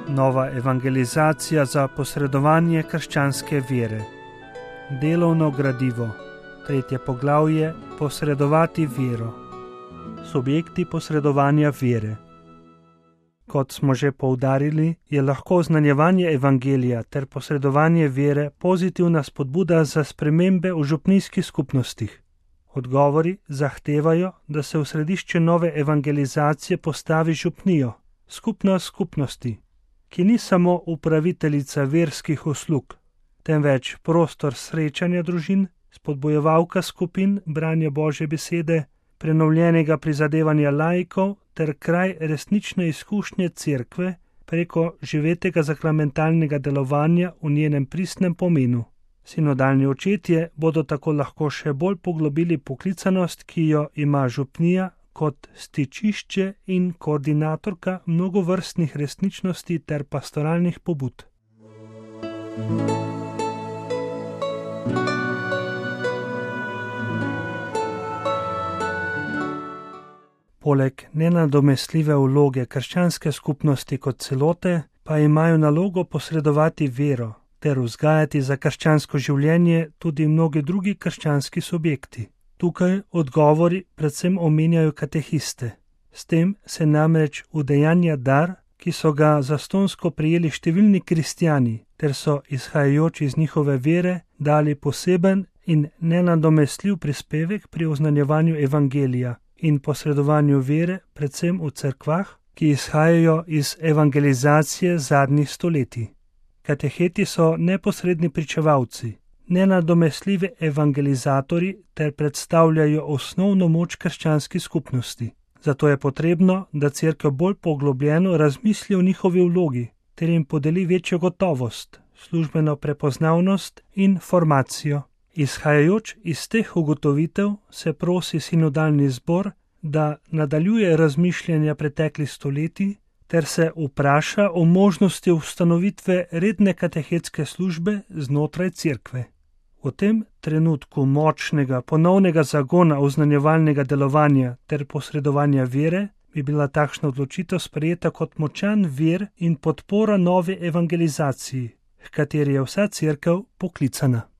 Nova evangelizacija za posredovanje krščanske vere. Delovno gradivo. 3. poglavje. Posredovati vero. Subjekti posredovanja vere. Kot smo že poudarili, je lahko oznanjevanje evangelija ter posredovanje vere pozitivna spodbuda za spremembe v župnijskih skupnostih. Odgovori zahtevajo, da se v središče nove evangelizacije postavi župnijo, skupnost skupnosti, ki ni samo upraviteljica verskih uslug, temveč prostor srečanja družin, spodbojevalka skupin branja Božje besede, prenovljenega prizadevanja laikov ter kraj resnične izkušnje cerkve preko živetega sakramentalnega delovanja v njenem pristnem pomenu. Sinodalni očetje bodo tako lahko še bolj poglobili poklicanost, ki jo ima župnija kot stičišče in koordinatorka mnogovrstnih resničnosti ter pastoralnih pobud. Poleg nenadomestljive vloge krščanske skupnosti kot celote, pa imajo nalogo posredovati vero ter vzgajati za krščansko življenje tudi mnogi drugi krščanski subjekti. Tukaj odgovori predvsem omenjajo katehiste. S tem se namreč udejanja dar, ki so ga zastonsko prijeli številni kristjani, ter so, izhajajoč iz njihove vere, dali poseben in nenadomestljiv prispevek pri oznanjevanju evangelija in posredovanju vere predvsem v cerkvah, ki izhajajo iz evangelizacije zadnjih stoletij. Kateheti so neposredni pričevalci, nenadomestljivi evangelizatorji ter predstavljajo osnovno moč krščanski skupnosti. Zato je potrebno, da cerkev bolj poglobljeno razmisli o njihovi vlogi ter jim podeli večjo gotovost, službeno prepoznavnost in formacijo. Izhajajoč iz teh ugotovitev se prosi sinodalni zbor, da nadaljuje razmišljanja preteklih stoletij ter se vpraša o možnosti ustanovitve redne katehetske službe znotraj cerkve. V tem trenutku močnega ponovnega zagona oznanjevalnega delovanja ter posredovanja vere bi bila takšna odločitev sprejeta kot močan vir in podpora novi evangelizaciji, h kateri je vsa cerkev poklicana.